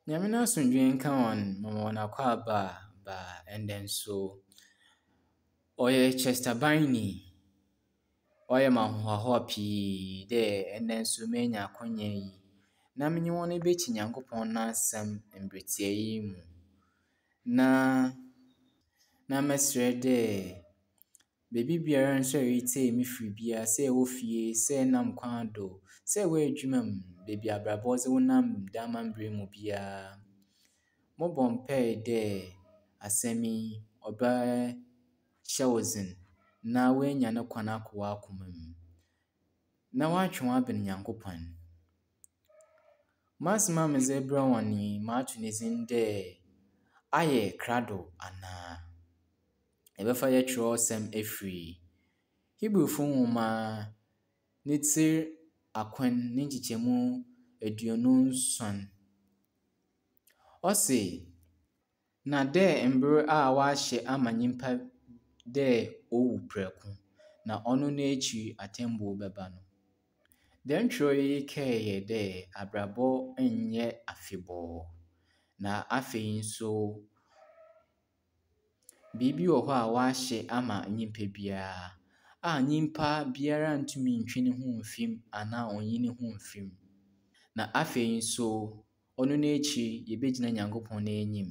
Nyame n'asomdwee nka hɔn, mema hɔn akwaaba ba ndɛ nso. Ɔyɛ Chester Biney. Ɔyɛ me ahohoahoa pii dɛ ndɛ nso menya akwanya yi na menye hɔn ebekyi Nyankopɔn n'asɛm mber tsia yi mu. Na na mɛserɛ dɛ beebi biara nso a eretsie me firi biara, sɛ ewɔ fie, sɛ enam kwan do, sɛ ewɔ edwuma mu, beebi a abrabɔ dze wo nam dɛm amambra yi mu biara, mobɔ mpae dɛ asɛm yi ɔbɛhyɛ wo dzen na woenya no kwan akɔ w'akoma mu na wɔatwe wo abɛn Nyankopɔn. M'asɛm a medze rebrɛ hɔn yi, mato ne dzin dɛ Ayɛ Krado Anaa? Yɛbɛfa yɛn kyerɛwsɛm efiri Hebrewfo nwoma ne tsir akron ne nkyekyɛmu 27. Ɔse, Na dɛ mber a wɔahyɛ ama nyimpa dɛ owu prɛko, na ɔno n'ekyir atsɛmbu bɛba no. Dɛm kyerɛw yi kae hɛn dɛ abrabɔ nnyɛ afebɔɔ, na afei so biribi wɔ hɔ a wɔahyɛ ama nyimpa biara a nyimpa biara nntum nntwe no ho mmfi mu anaa onnyi no ho mmfi mu. Na afei so ɔno n'ekyir yebegyina Nyankopɔn n'enyim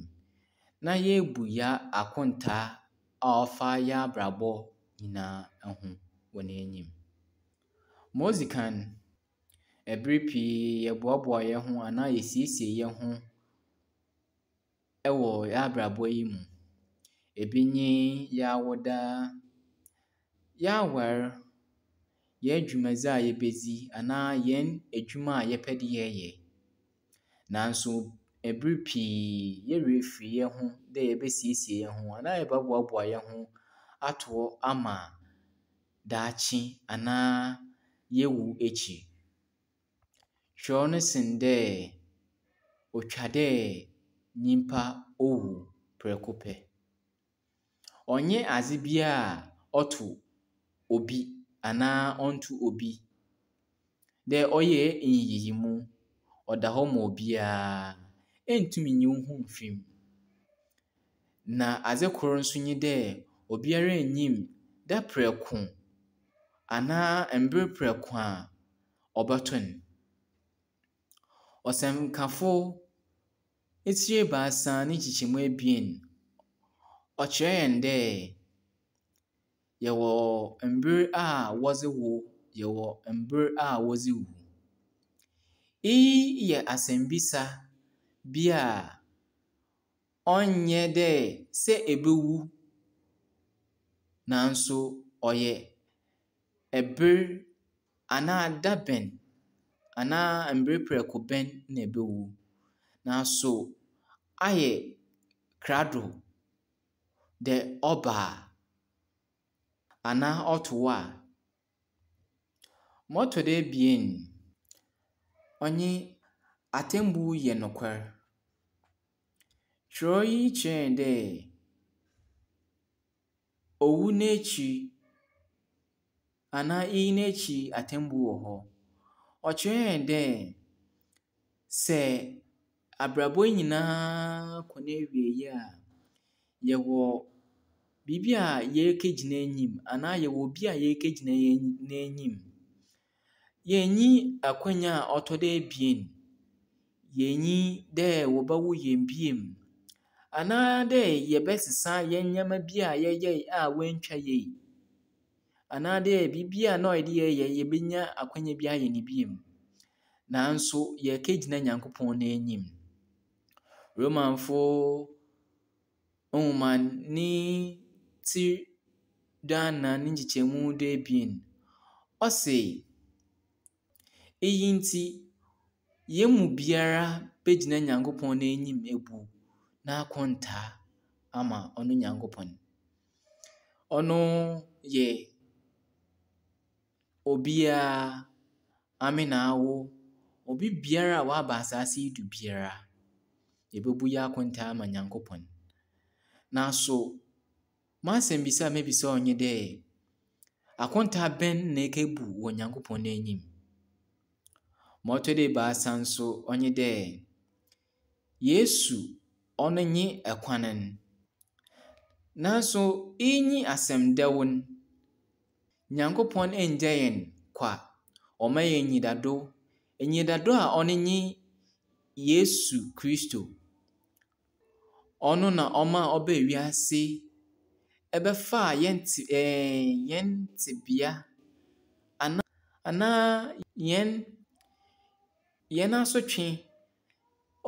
na yeebu hɛn akontaa a ɔfa hɛn abrabɔ nyina ho wɔ n'enyim. Ma odzi kan, ber pii yɛboaboa hɛnho anaa yesiesie hɛnho wɔ hɛn abrabɔ yi mu. Ebi nye hɛn awoda, hɛn awar, hɛn dwumadzi a yebedzi anaa hɛn edwuma a yɛpɛ dɛ yɛyɛ. Naaso ber pii hɛn werɛ fir hɛnho dɛ yɛbɛsiesie hɛnho anaa yɛbɛboaboa hɛnho ato hɔ ama daakye anaa yewu ekyir. Kyerɛw no sen dɛ otwa dɛ nyimpa owu prɛko pɛ. Ɔnnyɛ adze bi a ɔto obi anaa ɔnnto obi dɛ ɔyɛ nyiyimu, ɔda hɔ ma obiara. Enntum nnyi wo ho mmfi mu. Na adze kor so nye dɛ, obiara nnyim da prɛko anaa mber prɛko a ɔbɔto no. Ɔsɛnkafo tsir 3 ne nkyekyɛmu 2, ɔkyerɛ hɛn dɛ yɛwɔ mber a wɔdze wo, yɛwɔ mber a wɔdze wu. Iyi yɛ asɛmbisa bi a ɔnnyɛ dɛ sɛ ebowu naaso ɔyɛ ber anaa dabɛn anaa mber prɛko bɛn na ebowu. Naaso ayɛ krado dɛ ɔba a anaa ɔto wo a. Ma ɔtɔ do ebien, ɔnye atsɛmbu yɛ nokwar. Kyerɛw yi kyerɛ hɛn dɛ owu n'ekyir anaa iyi n'ekyir atsɛmbu wɔ hɔ. Ɔkyerɛ hɛn dɛ sɛ abrabɔ yi nyina kɔ n'ewiei a, yɛwɔ biribi a yɛrekegyina enyim anaa yɛwɔ obi a yɛrekegyina n'enyim. Yennyi akwanya a ɔtɔ do ebien, yennyi dɛ wɔbɛwo hɛn bio anaa dɛ yɛbɛsesa hɛn ndzɛmba bi a yɛyɛe a woenntwa yie anaadɛ biribi a nna ɔyɛ dɛ yɛyɛ yebenya akwanya bi ayɛ no bio. Naaso yɛrekegyina Nyankopɔn n'enyim. Romanfo nwoma ne tsir 14 ne nkyekyɛmu 12, ɔse, Iyi ntsi, hɛn mu biara begyina Nyankopɔn n'enyim ebu n'akontaa ama ɔno Nyankopɔn. Ɔno yɛ obiara, ame na awo, obi biara a ɔaba asaase yi do biara, yebobu hɛn akontaa ama Nyankopɔn. Naaso, m'asɛmbisa a mebisa wo nye dɛ, akontaa bɛn na ekebu wɔ Nyankopɔn n'enyim? Ma ɔtɔ do ebiasa so, ɔnye dɛ, Yesu ɔno nye kwan no. Naaso iyi nye asɛm dɛw no, Nyankopɔn enngya hɛn kwa. Ɔma hɛn enyidado. Enyidado a ɔno nye Yesu Kristo. Ɔno na ɔma ɔbaa wiase ɛbɛfaa hɛn tse ɛɛɛ hɛn tsebea anaa anaa hɛn hɛn asotwe.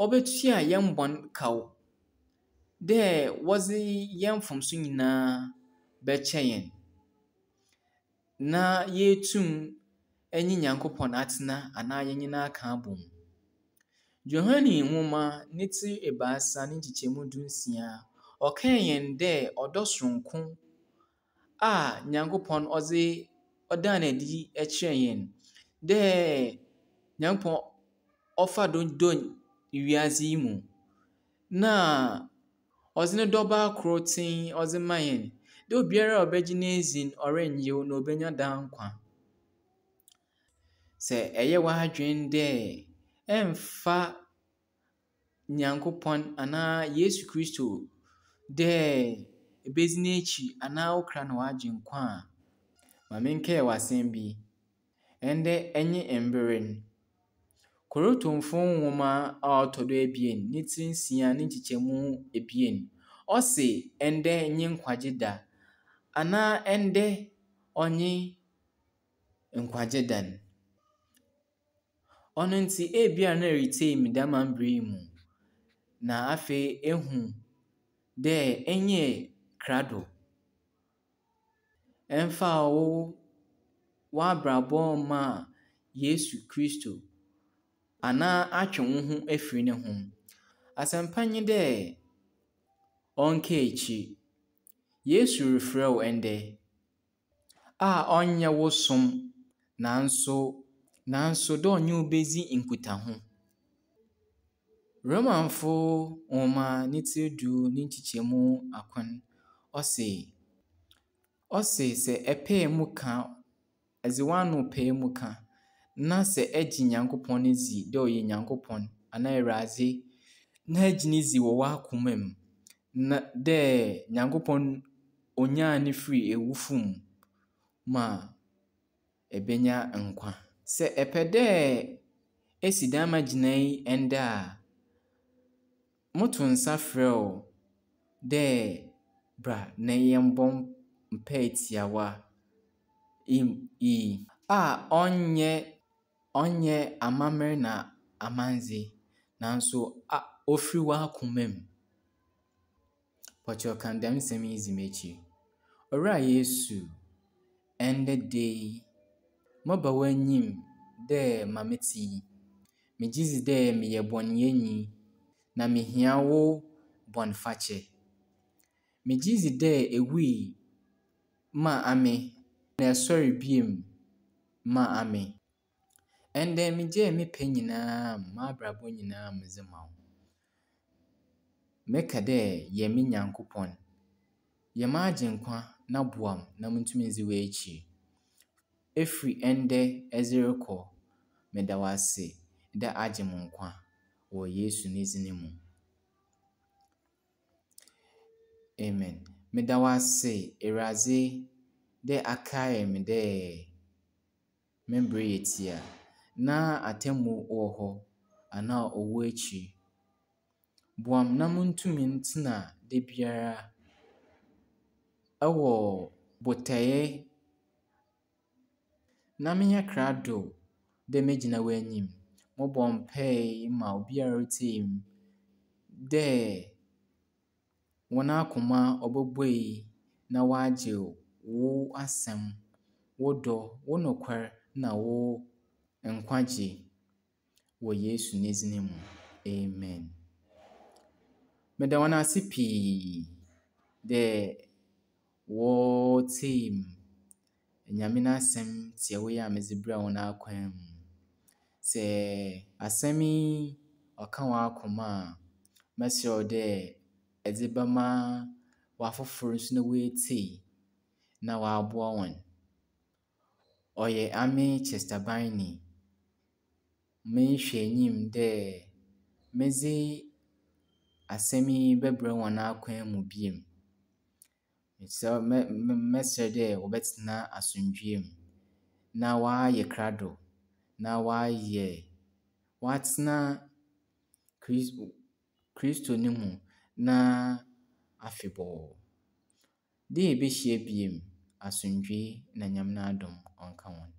Ɔbɛtua hɛn bɔn kaw dɛ wɔdze hɛn mfomso nyina bɛkyɛ hɛn na yeetum nye Nyankopɔn atsena anaa yɛnye no aka abɔ mu. Johane nwoma ne tsir 3 ne nkyekyɛmu 16, ɔkaa hɛn dɛ ɔdɔ soronko a Nyankopɔn ɔdze ɔdaa no edzi kyerɛɛ hɛn dɛ Nyankopɔn ɔfaa do dɔɔ wiadze yi mu na ɔdze no dɔba kortsee ɔdze maa hɛn dɛ obiara a ɔbɛgye no edzi no ɔrennyew na obenya daa nkwa. Sɛ ɛyɛ w'adwen dɛ ɛmmfa Nyankopɔn anaa Yesu Kristo dɛ ebedzi n'ekyir anaa wo kra na w'agyenkwa a, ma menkae wo asɛm bi. Ndɛ nye mber no. Korintomfo nwoma a ɔtɔ do ebien ne tsir nsia ne nkyekyɛmu ebien, ɔse ndɛ nye nkwagye da anaa ndɛ ɔnye nkwagye da no. Ɔno ntsi ebia na eretsie me dɛm mber yi mu, na afei ehu dɛ ennyɛɛ krado. Ɛmmfaa wo w'abrabɔ mmaa Yesu Kristo anaa atwe wo ho efir no ho. Asɛmpa nye dɛ ɔnnkaa ekyir. Yesu refrɛ wo ndɛ a ɔnnyɛ wo som naaso naaso dɛ ɔnye wo bedzi nkitaho. Romanfo nwoma ne tsir du ne nkyekyɛmu akron, ɔse, ɔse sɛ ɛpae mu ka, edze w'ano pae mu ka, na sɛ egye Nyankopɔn dzi dɛ ɔyɛ Nyankopɔn anaa Ewuradze, na egye no dzi wɔ w'akoma mu na dɛ Nyankopɔn onyaa no firii ewufo mu ma ebenya nkwa. Sɛ epɛ dɛ esi dɛm gyinae yi ndɛ a, moto nsa frɛ wo dɛ bra na yɛmbɔ mpaa tsiawa yi a ɔnnyɛ ɔnnyɛ amamber na amandze naaso a ofir w'akoma mu. Wɔkyerɛw kan dɛm nsɛm yi dzi m'ekyir. Owura Yesu, ndɛ da yi, meba w'enyim dɛ ma metse yi. Megye dzi dɛ meyɛ bɔnyɛnyi na mihia wo bɔnfakyɛ. Megye dzi dɛ ewui maa ame na esoɛr bio maa ame. Ndɛ megyaa me pɛ nyinaa, m'abrabɔ nyinaa medze ma wo. Meka dɛ yɛ me Nyankopɔn, yɛ m'agyenkwa na boa me na muntum ndzi w'ekyir. Efiri ndɛ dze rokɔ, meda wo ase dɛ agye me nkwa wɔ Yesu ne dzin mu. Amen. Meda wo ase, Ewuradze, dɛ akae me dɛ me mber yɛ tsia na atsɛmbu wɔ hɔ anaa owu ekyir. Boa me na muntum ntsena da biara wɔ botaeɛ na menyɛ krado dɛ megyina w'enyim. Mobɔ mpae ma obiara a oritsie me dɛ hɔn akoma ɔbɔbuei na wɔagye wo asɛm, wo dɔ, wo nokwar na wo nkwagye wɔ Yesu ne dzin mu. Amen. Meda hɔn ase pii dɛ wɔtsie me. Nyame n'asɛm tsiawa yi a medze brɛɛ hɔn akwan mu. Sɛ asɛm yi ɔka w'akoma a, mɛserɛ wo dɛ edze bɛma w'afofor so na woetsie na wɔaboa hɔn. Ɔyɛ ame Chester Biney. Merehwɛ enyim dɛ medze. asɛm yi bɛbrɛ hɔn akwan mu bio. Mesrɛ mɛ mɛsrɛ dɛ wɔbɛtsena asomdwee mu na wɔayɛ krado na wɔayɛ wɔatsena Kris Kristo no mu na afebɔɔ. Dɛ yebehyia bio, asomdwee na Nyame n'adom ɔnka hɔn.